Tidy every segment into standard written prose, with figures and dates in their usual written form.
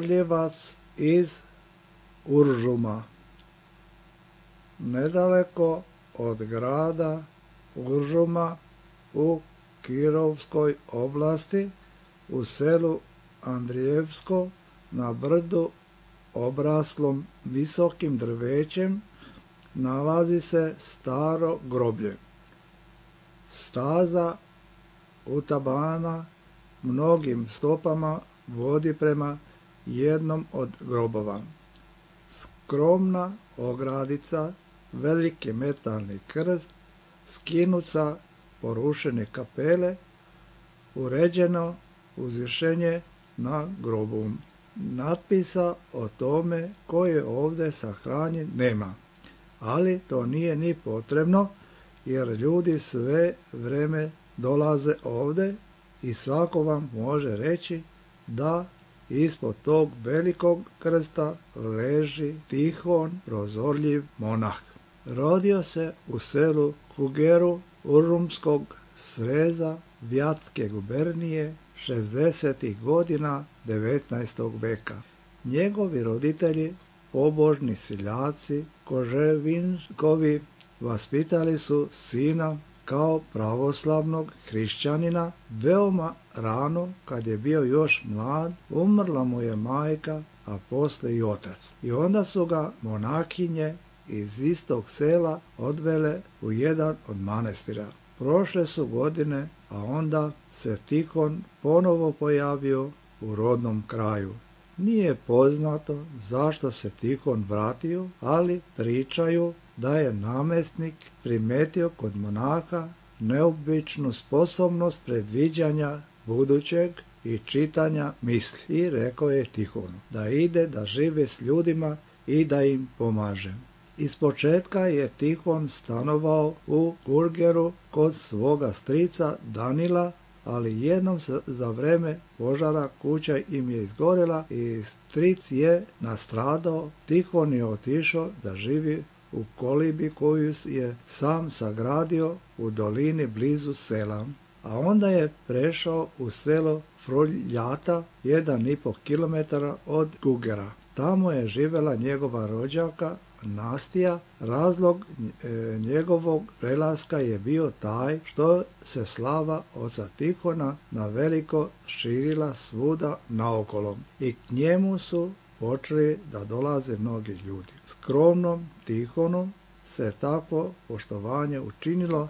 Prozorljevac iz Uržuma, nedaleko od grada Uržuma u Kirovskoj oblasti, u selu Andrijevsko, na brdu obraslom visokim drvećem, nalazi se staro groblje. Staza utabana mnogim stopama vodi prema jednom od grobova. Skromna ogradica, veliki metalni krst, skinut sa porušene kapele, uređeno uzvišenje na grobu. Natpisa o tome ko je ovdje sahranjen nema, ali to nije ni potrebno, jer ljudi sve vreme dolaze ovdje i svako vam može reći da ispod tog velikog krsta leži Tihon, prozorljiv monah. Rodio se u selu Kugeru Uržumskog sreza Vjatske gubernije 60. godina 19. veka. Njegovi roditelji, pobožni seljaci Koževinkovi, vaspitali su sina kao pravoslavnog hrišćanina. Veoma rano, kad je bio još mlad, umrla mu je majka, a posle i otac. I onda su ga monahinje iz istog sela odvele u jedan od manastira. Prošle su godine, a onda se Tihon ponovo pojavio u rodnom kraju. Nije poznato zašto se Tihon vratio, ali pričaju da je namjesnik primetio kod monaha neobičnu sposobnost predviđanja budućeg i čitanja misli. I rekao je Tihonu da ide da žive s ljudima i da im pomaže. Ispočetka je Tihon stanovao u Kurgeru kod svoga strica Danila, ali jednom za vreme požara kuća im je izgorela i stric je nastradao. Tihon je otišao da živi u kolibi koju je sam sagradio u dolini blizu sela. A onda je prešao u selo Fruljata, 1,5 km od Kugera. Tamo je živjela njegova rođaka Nastija. Razlog njegovog prelaska je bio taj što se slava oca Tihona na veliko širila svuda naokolo i k njemu su počeli da dolaze mnogi ljudi. Skromnom Tihonu se takvo poštovanje učinilo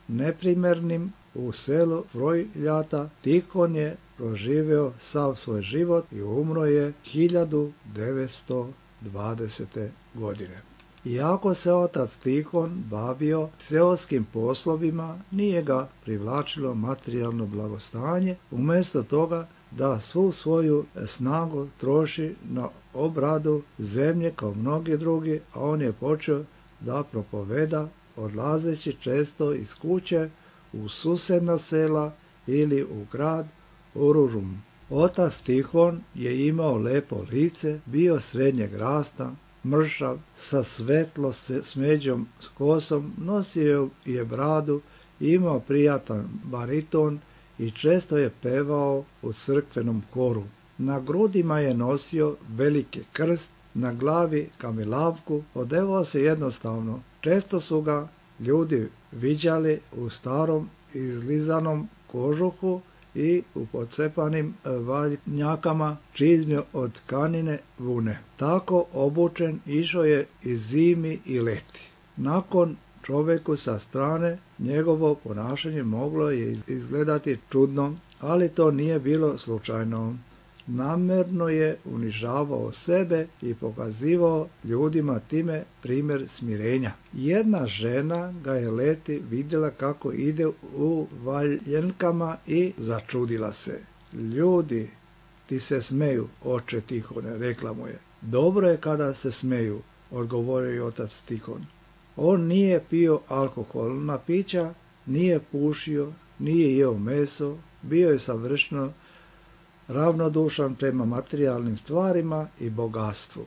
neprimernim. U selu Fruljata Tihon je proživio sav svoj život i umro je 1920. godine. Iako se otac Tihon bavio seoskim poslovima, nije ga privlačilo materijalno blagostanje. Umjesto toga da svu svoju snagu troši na obradu zemlje kao mnogi drugi, a on je počeo da propoveda odlazeći često iz kuće u susedna sela ili u grad Uržum. Otac Tihon je imao lepo lice, bio srednjeg rasta, mršav, sa svetlo smeđom kosom, nosio je bradu, imao prijatan bariton i često je pevao u crkvenom koru. Na grudima je nosio veliki krst, na glavi kamilavku, odevao se jednostavno. Često su ga ljudi viđali u starom izlizanom kožuhu i u pocepanim valjnjakama, čizme od tkanine vune. Tako obučen išao je i zimi i leti. Nakon čovjeku sa strane njegovo ponašanje moglo je izgledati čudno, ali to nije bilo slučajno. Namjerno je unižavao sebe i pokazivao ljudima time primjer smirenja. Jedna žena ga je leti vidjela kako ide u valjenkama i začudila se. Ljudi ti se smeju, oče Tihone, rekla mu je. Dobro je kada se smeju, odgovorio je otac Tihon. On nije pio alkoholna pića, nije pušio, nije jeo meso, bio je savršeno ravnodušan prema materijalnim stvarima i bogatstvu.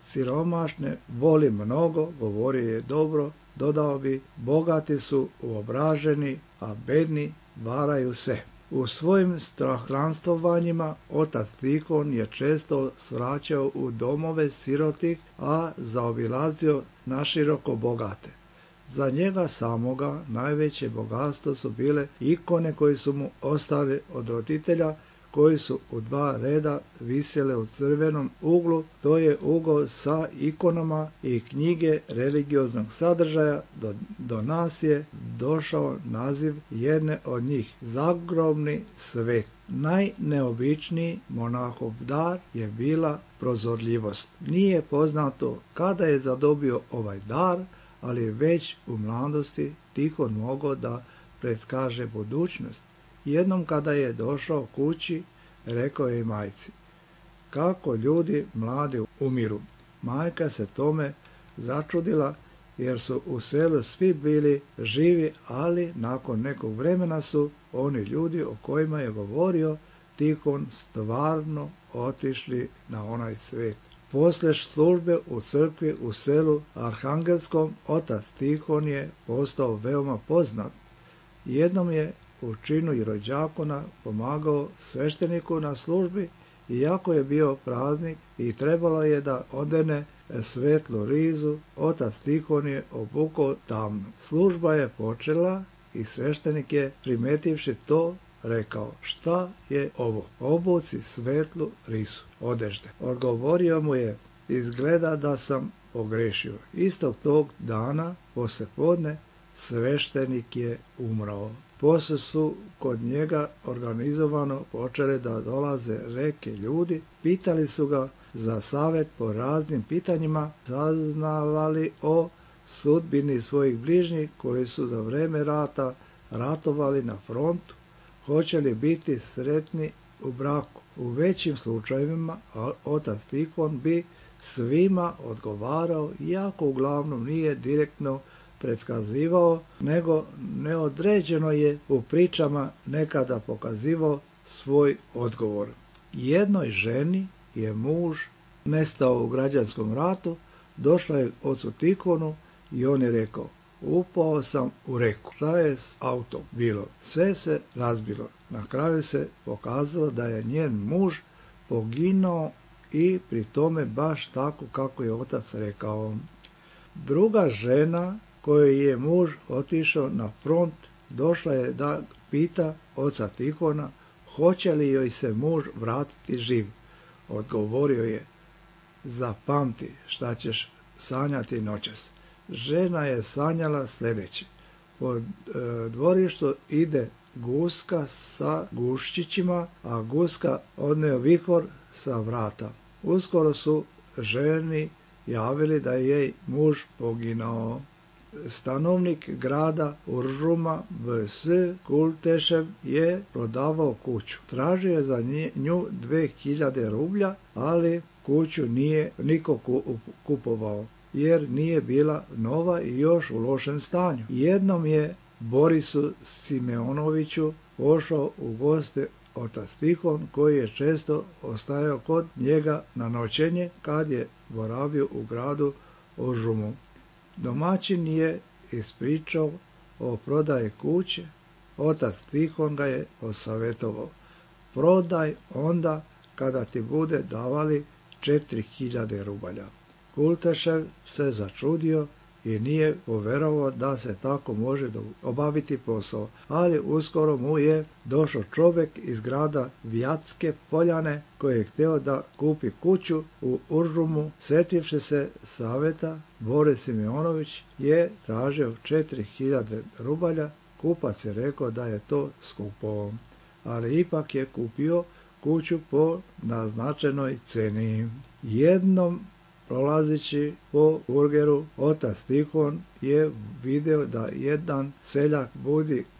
Siromašne voli mnogo, govorio je dobro, dodao bi, bogati su uobraženi, a bedni varaju se. U svojim stranstvanjima otac Tihon je često svraćao u domove sirotih, a zaobilazio naširoko bogate. Za njega samoga najveće bogatstvo su bile ikone koje su mu ostale od roditelja, koji su u 2 reda visjele u crvenom uglu, to je ugao sa ikonama i knjige religioznog sadržaja. Do nas je došao naziv jedne od njih, Zagrobni svet. Najneobičniji monahov dar je bila prozorljivost. Nije poznato kada je zadobio ovaj dar, ali već u mladosti Tihon mogao da predskaže budućnost. Jednom kada je došao kući, rekao je majci: kako ljudi mladi umiru. Majka se tome začudila, jer su u selu svi bili živi, ali nakon nekog vremena su oni ljudi o kojima je govorio Tihon stvarno otišli na onaj svet. Poslije službe u crkvi u selu Arhangelskom, otac Tihon je postao veoma poznat. Jednom je u činu rođakona pomagao svešteniku na službi, iako je bio praznik i trebalo je da odene svetlu rizu, otac Tihon je obukao tamnu. Služba je počela i sveštenik je, primetivši to, rekao: šta je ovo? Obuci svetlu rizu odežde. Odgovorio mu je: izgleda da sam pogrešio. Istog tog dana poslijepodne sveštenik je umro. Poslije su kod njega organizovano počele da dolaze reke ljudi, pitali su ga za savjet po raznim pitanjima, saznavali o sudbini svojih bližnjih koji su za vreme rata ratovali na frontu, hoće li biti sretni u braku. U većim slučajevima otac Tihon bi svima odgovarao, iako uglavnom nije direktno predskazivao, nego neodređeno je u pričama nekada pokazivao svoj odgovor. Jednoj ženi je muž nestao u građanskom ratu, došla je ocu Tihonu i on je rekao: upao sam u reku. Šta je s autom bilo? Sve se razbilo. Na kraju se pokazalo da je njen muž poginuo i pri tome baš tako kako je otac rekao. Druga žena kojoj je muž otišao na front, došla je da pita oca Tihona hoće li joj se muž vratiti živ. Odgovorio je: zapamti šta ćeš sanjati noćas. Žena je sanjala sljedeće: po dvorištu ide guska sa guščićima, a guska odneo vihor sa vrata. Uskoro su ženi javili da je jej muž poginuo. Stanovnik grada Uržuma V.S. Kultešev je prodavao kuću. Tražio je za nju 2000 rublja, ali kuću nije niko kupovao, jer nije bila nova i još u lošem stanju. Jednom je Borisu Simeonoviću pošao u goste otac Tihon, koji je često ostajao kod njega na noćenje kad je boravio u gradu Uržumu. Domaćin je ispričao o prodaji kuće. Otac Tihon ga je posavjetovao: prodaj onda kada ti bude davali 4000 rubalja. Kultešev se začudio i nije poverovao da se tako može obaviti posao, ali uskoro mu je došao čovjek iz grada Vjatske Poljane koji je htio da kupi kuću u Uržumu. Sjetivši se savjeta, Boris Simeonović je tražio 4000 rubalja. Kupac je rekao da je to skupo, ali ipak je kupio kuću po naznačenoj ceni. Jednom prolazeći po burgeru, otac Tihon je vidio da jedan seljak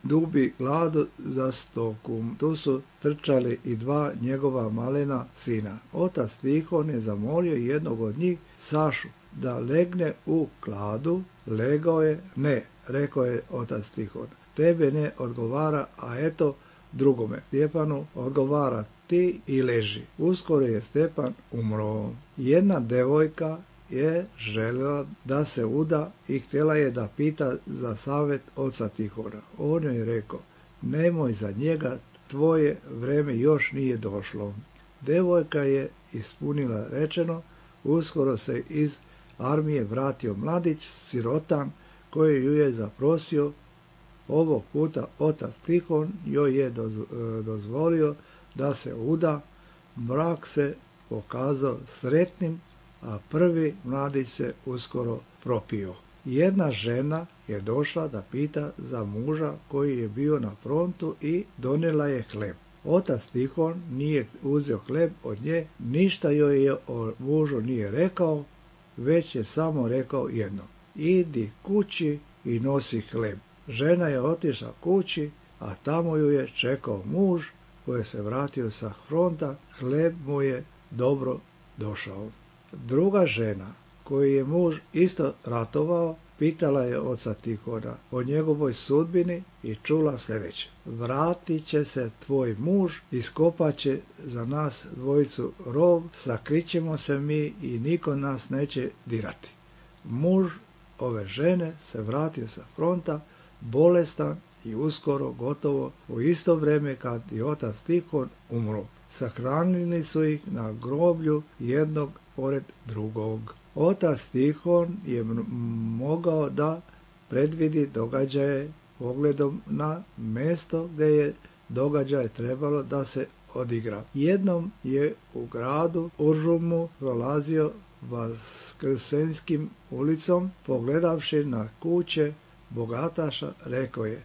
dubi gladu za stoku. Tu su trčali i 2 njegova malena sina. Otac Tihon je zamolio jednog od njih, Sašu, da legne u kladu. Legao je. Ne, rekao je otac Tihon, tebe ne odgovara, a eto drugome, Stjepanu, odgovara ti i leži. Uskoro je Stjepan umro. Jedna devojka je željela da se uda i htjela je da pita za savjet oca Tihona. On je rekao: nemoj za njega tvoje vreme još nije došlo. Devojka je ispunila rečeno, uskoro se iz armije vratio mladić, sirotan, koji ju je zaprosio. Ovog puta otac Tihon joj je dozvolio da se uda. Brak se pokazao sretnim, a prvi mladić se uskoro propio. Jedna žena je došla da pita za muža koji je bio na frontu i donijela je hleb. Otac Tihon nije uzeo hleb od nje, ništa joj je o mužu nije rekao, već je samo rekao jedno: idi kući i nosi hleb. Žena je otišla kući, a tamo ju je čekao muž koji se vratio sa fronta, hleb mu je dobro došao. Druga žena, koju je muž isto ratovao, pitala je oca Tihona o njegovoj sudbini i čula sljedeće: vratit će se tvoj muž, iskopat će za nas dvojicu rov, sakrićemo se mi i niko nas neće dirati. Muž ove žene se vratio sa fronta, bolestan i uskoro gotovo u isto vrijeme kad i otac Tihon umro. Sahranili su ih na groblju jednog pored drugog. Otac Tihon je mogao da predvidi događaje pogledom na mjesto gdje je događaj trebalo da se odigra. Jednom je u gradu Uržumu prolazio Vaskrsenskim ulicom, pogledavši na kuće bogataša, rekao je: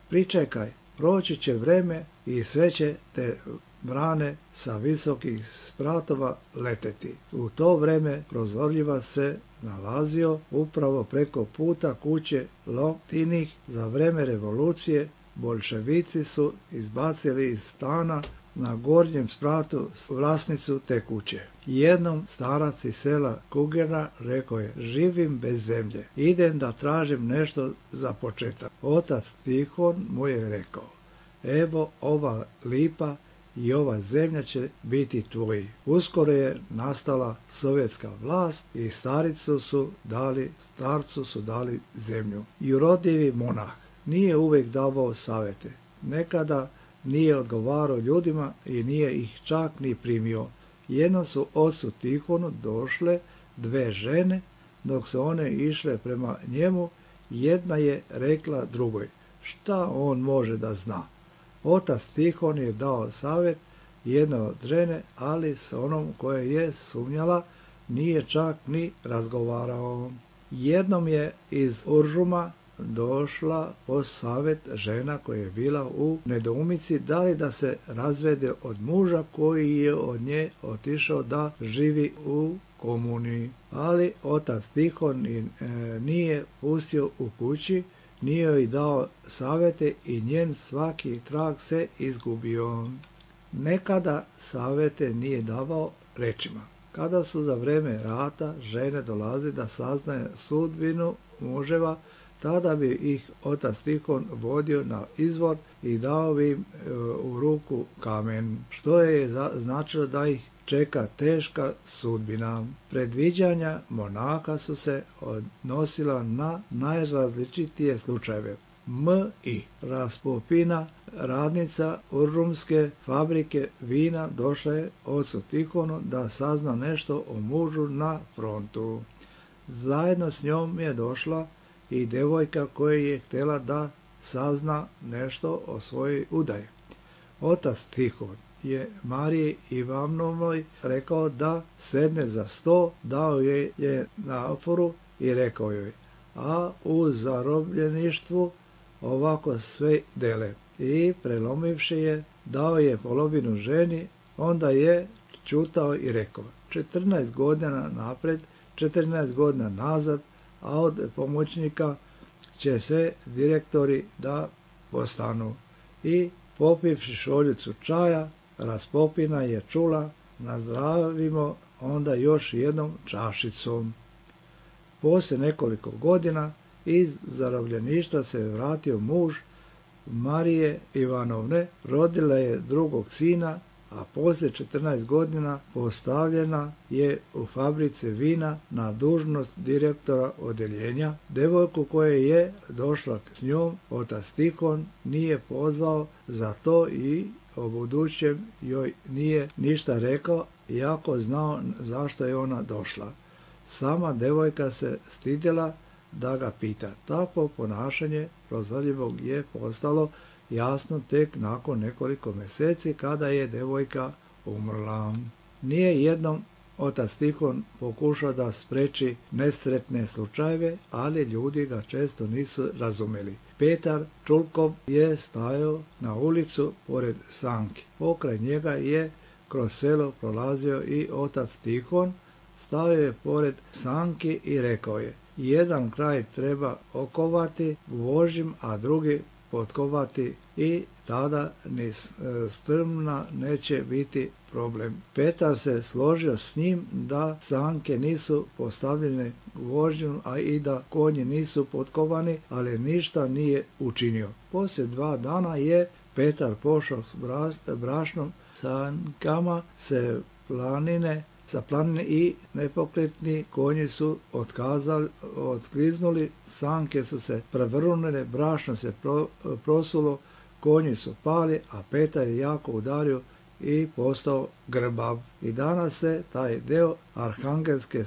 pričekaj, proći će vreme i sve će te brane sa visokih spratova leteti. U to vrijeme prozorljiva se nalazio upravo preko puta kuće Loktinih. Za vrijeme revolucije boljševici su izbacili iz stana na gornjem spratu vlasnicu te kuće. Jednom starac iz sela Kugera rekao je: živim bez zemlje, idem da tražim nešto za početak. Otac Tihon mu je rekao: evo ova lipa i ova zemlja će biti tvoji. Uskoro je nastala sovjetska vlast i starcu su dali zemlju. Jurodljivi monah nije uvijek davao savjete. Nekada nije odgovarao ljudima i nije ih čak ni primio. Jednom su ocu Tihonu došle dve žene, dok su one išle prema njemu, jedna je rekla drugoj: šta on može da zna? Otac Tihon je dao savjet jedne od žene, ali s onom koja je sumnjala nije čak ni razgovarao. Jednom je iz Uržuma došla po savjet žena koja je bila u nedoumici da li da se razvede od muža koji je od nje otišao da živi u komuniji. Ali otac Tihon nije pustio u kući, nije joj dao savjete i njen svaki trag se izgubio. Nekada savjete nije davao rečima. Kada su za vrijeme rata žene dolazile da saznaju sudbinu muževa, tada bi ih otac Tihon vodio na izvor i dao bi im u ruku kamen, što je značilo da ih čeka teška sudbina. Predviđanja monaha su se odnosila na najrazličitije slučajeve. M.I. Raspopina, radnica Uržumske fabrike vina, došla je ocu Tihonu da sazna nešto o mužu na frontu. Zajedno s njom je došla i devojka koja je htjela da sazna nešto o svojoj udaji. Otac Tihon je Mariji Ivanovnoj rekao da sedne za sto, dao je naforu i rekao joj: a u zarobljeništvu ovako sve dele. I prelomivši je, dao je polovinu ženi, onda je čutao i rekao: 14 godina napred, 14 godina nazad, a od pomoćnika će sve direktori da postanu. I popivši šoljicu čaja, Raspopina je čula: nazdravimo onda još jednom čašicom. Poslije nekoliko godina iz zarobljeništva se vratio muž Marije Ivanovne, rodila je drugog sina, a poslije 14 godina postavljena je u fabrici vina na dužnost direktora odeljenja. Devojku koja je došla s njom otac Tihon nije pozvao za to i o budućem joj nije ništa rekao, iako znao zašto je ona došla. Sama devojka se stidjela da ga pita. Takvo ponašanje prozorljivog je postalo jasno tek nakon nekoliko mjeseci kada je devojka umrla. Nije jednom otac Tihon pokušao da spreči nesretne slučajeve, ali ljudi ga često nisu razumjeli. Petar Čulkov je stajao na ulicu pored sanki. Pokraj njega je kroz selo prolazio i otac Tihon, stao je pored sanki i rekao je: jedan kraj treba okovati vožim, a drugi potkovati, i tada ni strmna neće biti problem. Petar se složio s njim da sanke nisu postavljene vožnjom, a i da konji nisu potkovani, ali ništa nije učinio. Poslije 2 dana je Petar pošao s brašnom sankama sa planine i nepokretni konji su otkliznuli, sanke su se prevrnule, brašno se prosulo, konji su pali, a Petar je jako udario i postao grbav. I danas se taj deo Arhangelske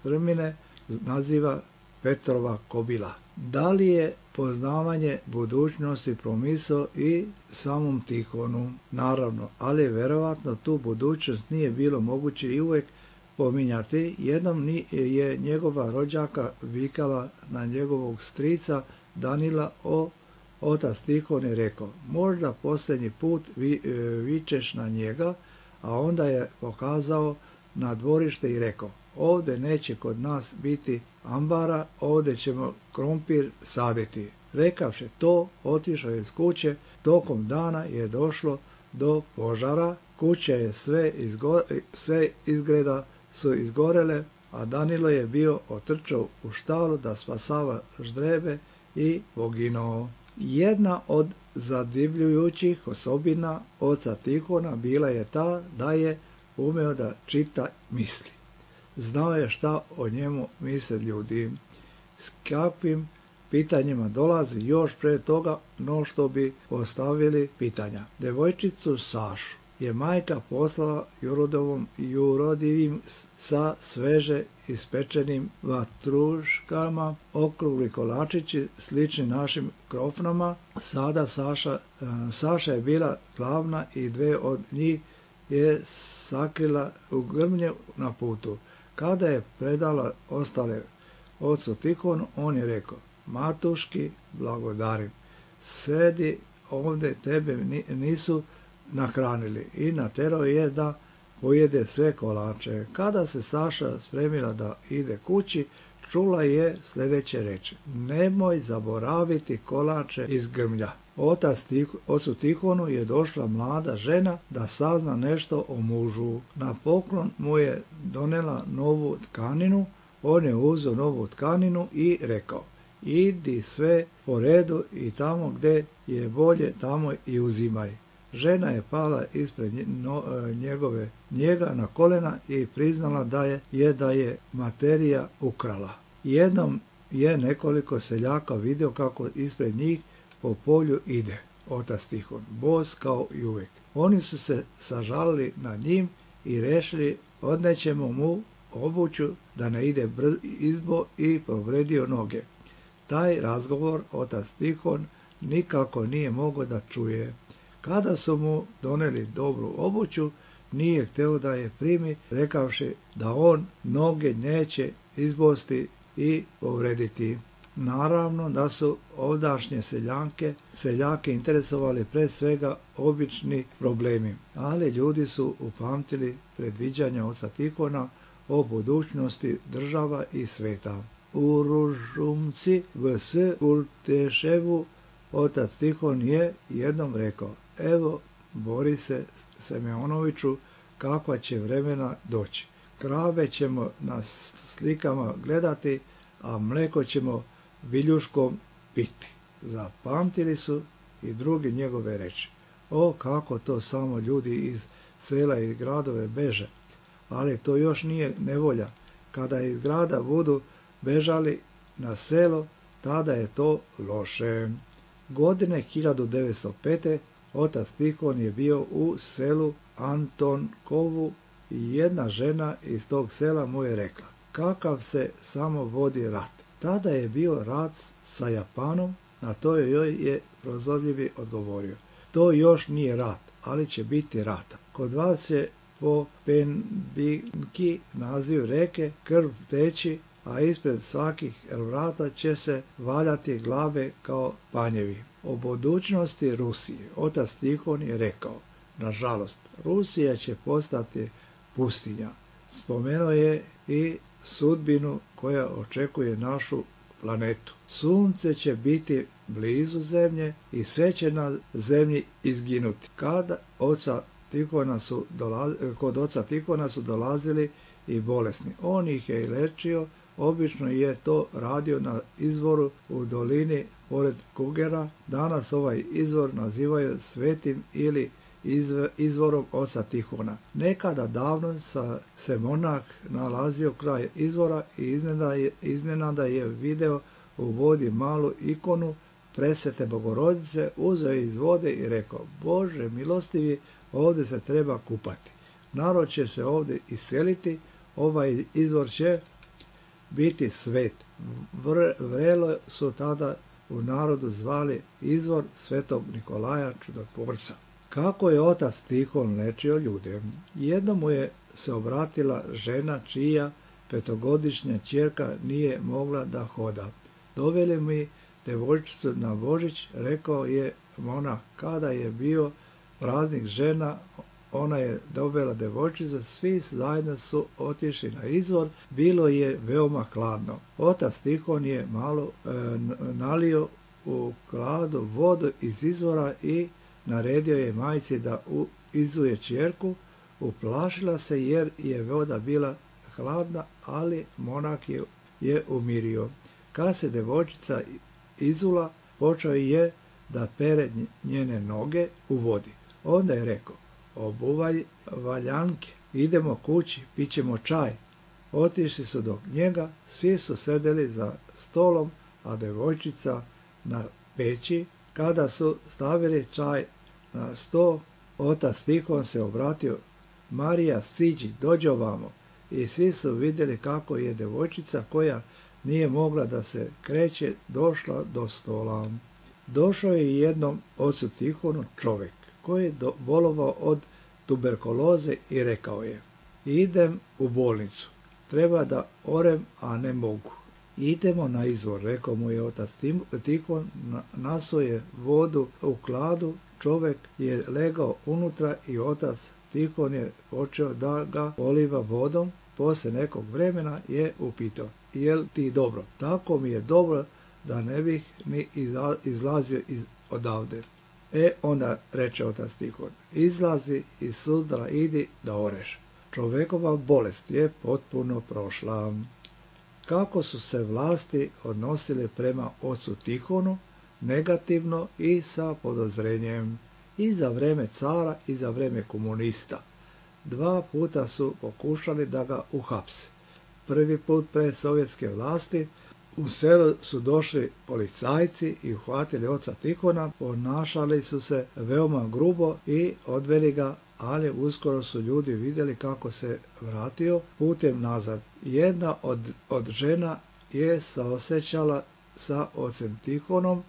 strmine naziva Petrova kobila. Da li je poznavanje budućnosti promisao i samom Tihonu? Naravno, ali vjerovatno tu budućnost nije bilo moguće i uvijek pominjati. Jednom je njegova rođaka vikala na njegovog strica Danila. Otac Tihon je rekao: možda posljednji put vičeš na njega, a onda je pokazao na dvorište i rekao: ovdje neće kod nas biti ambara, ovdje ćemo krompir saditi. Rekavši to, otišao je iz kuće. Tokom dana je došlo do požara, kuća je sve izgleda su izgorele, a Danilo je bio otrčao u štalu da spasava ždrebe i poginuo. Jedna od zadivljujućih osobina oca Tihona bila je ta da je umeo da čita misli. Znao je šta o njemu misle ljudi, s kakvim pitanjima dolazi još pre toga no što bi postavili pitanja. Devojčicu Sašu je majka poslala jurodivim sa sveže ispečenim vatruškama, okrugli kolačići slični našim krofnama. Sada Saša je bila glavna i 2 od njih je sakrila u grmlje na putu. Kada je predala ostale ocu Tihonu, on je rekao: matuški, blagodarim, sedi ovdje, tebe nisu nahranili, i naterao je da pojede sve kolače. Kada se Saša spremila da ide kući, čula je sljedeće reči: nemoj zaboraviti kolače iz grmlja. Ocu Tihonu je došla mlada žena da sazna nešto o mužu. Na poklon mu je donela novu tkaninu. On je uzeo novu tkaninu i rekao: idi sve po redu i tamo gdje je bolje, tamo i uzimaj. Žena je pala ispred njega na kolena i priznala da je materija ukrala. Jednom je nekoliko seljaka vidio kako ispred njih po polju ide otac Tihon, bos kao i uvijek. Oni su se sažalili nad njim i rešili: odnećemo mu obuću da ne ide izbo, i povredio noge. Taj razgovor otac Tihon nikako nije mogao da čuje. Kada su mu doneli dobru obuću, nije hteo da je primi, rekavši da on noge neće izbosti i povrediti. Naravno da su ovdašnje seljake interesovali pre svega obični problemi, ali ljudi su upamtili predviđanja oca Tihona o budućnosti država i sveta. U Ružumci vs. Kulteševu otac Tihon je jednom rekao: evo, Borise Semjonoviću, kakva će vremena doći. Krave ćemo na slikama gledati, a mleko ćemo viljuškom piti. Zapamtili su i drugi njegove reči. O, kako to samo ljudi iz sela i gradove beže. Ali to još nije nevolja. Kada iz grada budu bežali na selo, tada je to loše. Godine 1905. Otac Tihon je bio u selu Antonkovu i jedna žena iz tog sela mu je rekla: kakav se samo vodi rat. Tada je bio rat sa Japanom, na to joj je prozorljivi odgovorio: to još nije rat, ali će biti rata. Kod vas je po Penbinki, naziv reke, krv teći, a ispred svakih vrata će se valjati glave kao panjevi. O budućnosti Rusije otac Tihon je rekao: nažalost, Rusija će postati pustinja. Spomenuo je i sudbinu koja očekuje našu planetu. Sunce će biti blizu zemlje i sve će na zemlji izginuti. Kod oca Tihona su dolazili i bolesni. On ih je lečio. Obično je to radio na izvoru u dolini pored Kugera. Danas ovaj izvor nazivaju svetim ili izvorom oca Tihona. Nekada davno se monah nalazio kraj izvora i iznenada je video u vodi malu ikonu presvete Bogorodice, uzeo iz vode i rekao: Bože milostivi, ovdje se treba kupati. Narod će se ovdje iseliti, ovaj izvor će biti svet. Vrelo su tada u narodu zvali izvor svetog Nikolaja Čudotvorca. Kako je otac Tihon lečio ljude? Jednom mu je se obratila žena čija 5-godišnja ćerka nije mogla da hoda. Doveli mi devojčicu na Božić, rekao je monah. Kada je bio praznik žena, ona je dovela devojčicu, svi zajedno su otišli na izvor, bilo je veoma hladno. Otac Tihon je malo nalio u kladu vodu iz izvora i naredio je majci da izuje ćerku. Uplašila se jer je voda bila hladna, ali monah je umirio. Kad se devojčica izula, počeo je da pere njene noge u vodi. Onda je rekao: obuvaj valjanke, idemo kući, pićemo čaj. Otišli su do njega, svi su sedeli za stolom, a devojčica na peći. Kada su stavili čaj na sto, otac Tihon se obratio: Marija, siđi, dođi ovamo. I svi su vidjeli kako je devojčica, koja nije mogla da se kreće, došla do stola. Došao je jednom ocu Tihonu čovjek koji je bolovao od tuberkuloze i rekao je: idem u bolnicu, treba da orem, a ne mogu. Idemo na izvor, rekao mu je otac Tihon, nasuo je vodu u kladu, čovjek je legao unutra i otac Tihon je počeo da ga poliva vodom. Poslije nekog vremena je upitao: jel ti dobro? Tako mi je dobro da ne bih ni izlazio odavde. Onda reče otac Tihon: izlazi iz sutra, idi da oreš. Čovjekova bolest je potpuno prošla. Kako su se vlasti odnosile prema ocu Tihonu? Negativno i sa podozrenjem. I za vrijeme cara i za vrijeme komunista. 2 puta su pokušali da ga uhapse. Prvi put pre sovjetske vlasti u selu su došli policajci i uhvatili oca Tihona, ponašali su se veoma grubo i odveli ga, ali uskoro su ljudi vidjeli kako se vratio putem nazad. Jedna od žena je saosjećala sa ocem Tihonom.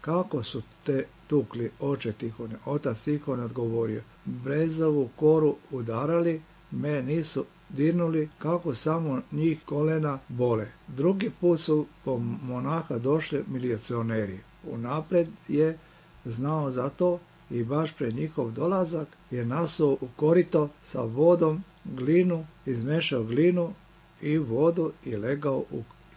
Kako su te tukli, oče Tihone? Otac Tihon odgovorio: brezovu koru udarali, me nisu dirnuli, kako samo njih kolena bole. Drugi put su po monaha došli milicioneri. Unaprijed je znao za to i baš pred njihov dolazak je nasuo u korito sa vodom glinu, izmešao glinu i vodu i legao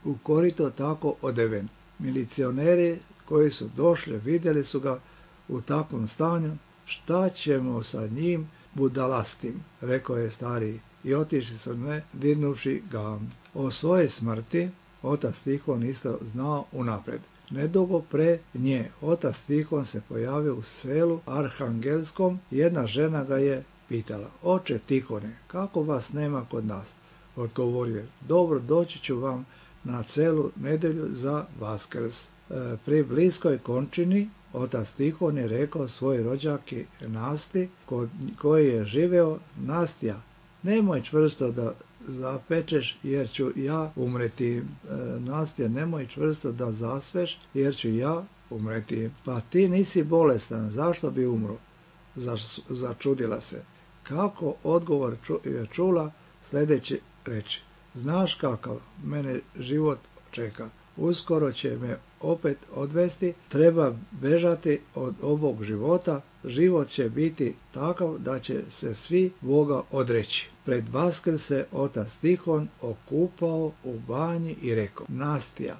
u korito tako odeven. Milicioneri koji su došli vidjeli su ga u takvom stanju. Šta ćemo sa njim budalastim, rekao je stariji, i otišli su ne dirnuši ga. O svojoj smrti otac Tihon isto znao unaprijed. Nedugo pre nje otac Tihon se pojavio u selu Arhangelskom. Jedna žena ga je pitala: oče Tihone, kako vas nema kod nas? Odgovorio je: dobro, doći ću vam na celu nedelju za Vaskrs. Pri bliskoj končini otac Tihon je rekao svoj rođaki Nasti, kod koji je živeo: Nastja, nemoj čvrsto da zapečeš, jer ću ja umreti. Nastja, nemoj čvrsto da zasveš, jer ću ja umreti. Pa ti nisi bolestan, zašto bi umro? Začudila se. Kako odgovor je čula, sljedeći reči: znaš kakav mene život čeka, uskoro će me opet odvesti, treba bežati od ovog života, život će biti takav da će se svi Boga odreći. Pred Vaskrs se otac Tihon okupao u banji i rekao: Nastja,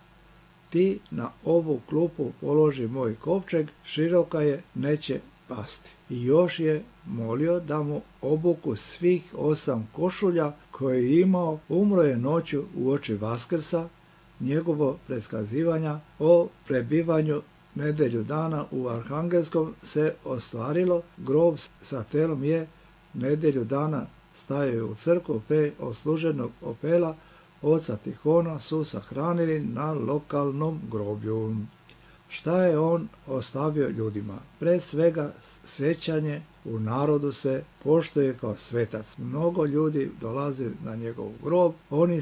ti na ovu klupu položi moj kovčeg, široka je, neće pasti. I još je molio da mu obuku svih 8 košulja koje je imao. Umro je noću uoči Vaskrsa. Njegovo predskazivanja o prebivanju nedjelju dana u Arhangelskom se ostvarilo. Grob sa telom je nedjelju dana stajao u crkvu, pe od služenog opela oca Tihona su sahranili na lokalnom groblju. Šta je on ostavio ljudima? Pre svega sjećanje u narodu se poštuje kao svetac. Mnogo ljudi dolazi na njegov grob, oni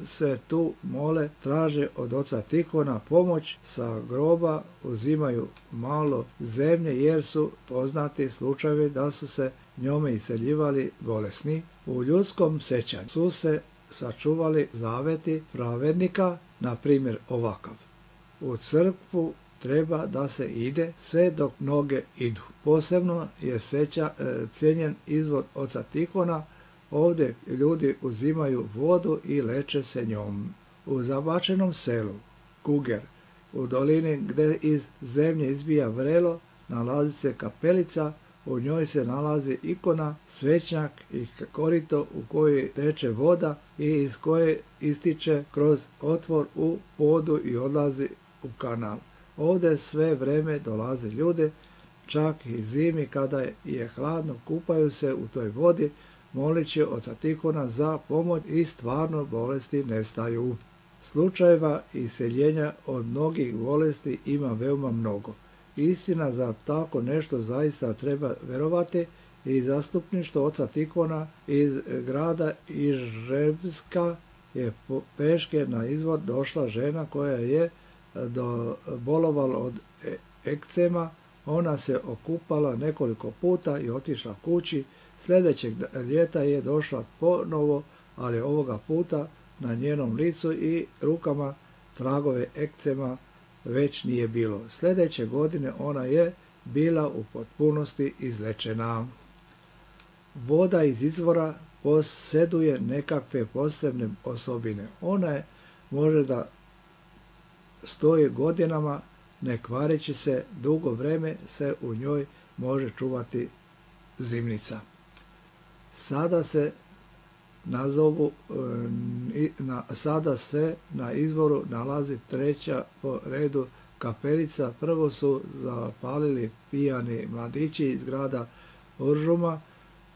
se tu mole, traže od oca Tihona pomoć, sa groba uzimaju malo zemlje jer su poznati slučajevi da su se njome iseljivali bolesni. U ljudskom sjećanju su se sačuvali zaveti pravednika, na primjer ovakav: u crkvu treba da se ide sve dok noge idu. Posebno je cijenjen izvod oca Tihona. Ovdje ljudi uzimaju vodu i leče se njom. U zabačenom selu Kuger, u dolini gdje iz zemlje izbija vrelo, nalazi se kapelica. U njoj se nalazi ikona, svećnjak i korito u kojoj teče voda i iz koje ističe kroz otvor u podu i odlazi u kanal. Ovdje sve vreme dolaze ljude, čak i zimi kada je hladno, kupaju se u toj vodi, molići oca Tihona za pomoć i stvarno bolesti nestaju. Slučajeva iseljenja od mnogih bolesti ima veoma mnogo. Istina, za tako nešto zaista treba verovati, i zastupništvo oca Tihona iz grada Iževska je peške na izvor došla žena koja je bolovala od ekcema. Ona se okupala nekoliko puta i otišla kući. Sljedećeg ljeta je došla ponovo, ali ovoga puta na njenom licu i rukama tragove ekcema već nije bilo. Sljedeće godine ona je bila u potpunosti izlečena. Voda iz izvora posjeduje nekakve posebne osobine. Ona može da stoji godinama, ne kvareći se, dugo vreme se u njoj može čuvati zimnica. Sada se na izvoru nalazi 3. po redu kapelica. Prvo su zapalili pijani mladići iz grada Uržuma.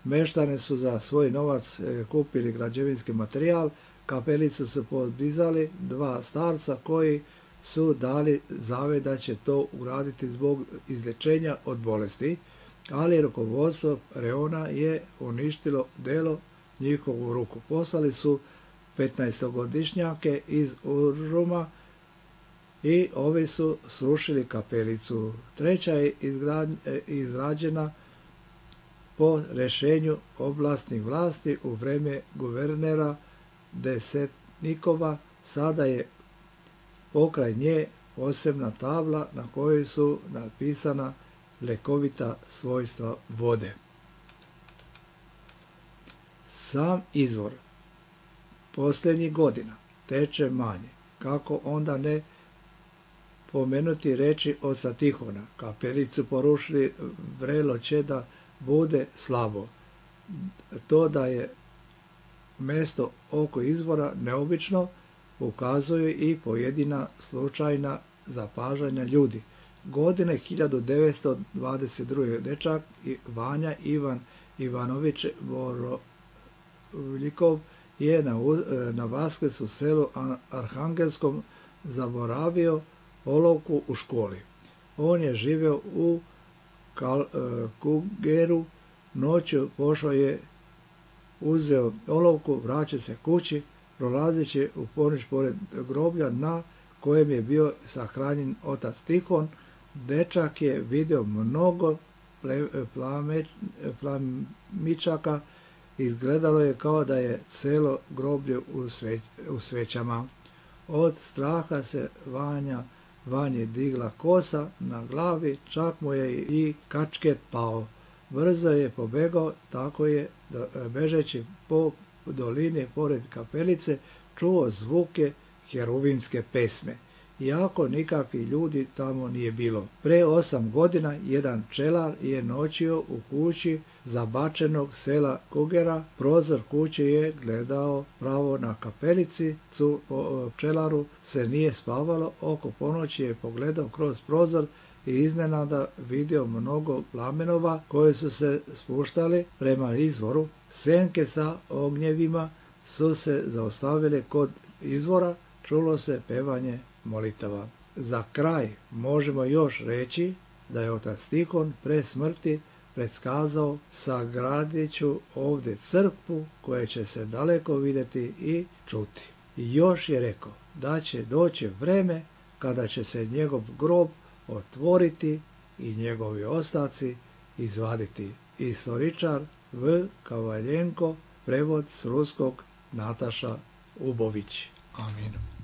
Meštane su za svoj novac kupili građevinski materijal. Kapelicu su podizali 2 starca koji su dali zavet da će to uraditi zbog izlječenja od bolesti, ali rukovodstvo reona je uništilo delo njihovu ruku. Poslali su 15-godišnjake iz Uržuma i ovi su srušili kapelicu. 3. je izrađena po rješenju oblastnih vlasti u vrijeme guvernera Desetnikova. Sada je pokraj nje posebna tabla na kojoj su napisana lekovita svojstva vode. Sam izvor posljednjih godina teče manje. Kako onda ne pomenuti reči oca Tihona? Kapelicu porušili, vrelo će da bude slabo. To da je mjesto oko izvora neobično ukazuju i pojedina slučajna zapažanja ljudi. Godine 1922. dečak Vanja Ivan Ivanović Borovljikov je na Vaskrs u selu Arhangelskom zaboravio olovku u školi. On je živio u Kugeru, noću pošao je, uzeo olovku, vraća se kući, prolazeći u ponoć pored groblja na kojem je bio sahranjen otac Tihon, dečak je vidio mnogo plamičaka, izgledalo je kao da je celo groblje u svećama. Od straha se Vanji digla kosa na glavi, čak mu je i kačket pao. Brzo je pobegao, tako je, bežeći po dolini pored kapelice, čuo zvuke heruvimske pesme. Iako nikakvih ljudi tamo nije bilo. Pre 8 godina jedan pčelar je noćio u kući zabačenog sela Kugera. Prozor kuće je gledao pravo na kapelici. Pčelaru se nije spavalo. Oko ponoći je pogledao kroz prozor i iznenada vidio mnogo plamenova koji su se spuštali prema izvoru. Senke sa ognjevima su se zaustavile kod izvora. Čulo se pevanje molitava. Za kraj možemo još reći da je otac Tihon pre smrti predskazao: sagradit ću ovdje crkvu koja će se daleko vidjeti i čuti. I još je rekao da će doći vreme kada će se njegov grob otvoriti i njegovi ostaci izvaditi. Istoričar V. Kavaljenko, prevod s ruskog Nataša Ubović. Amin.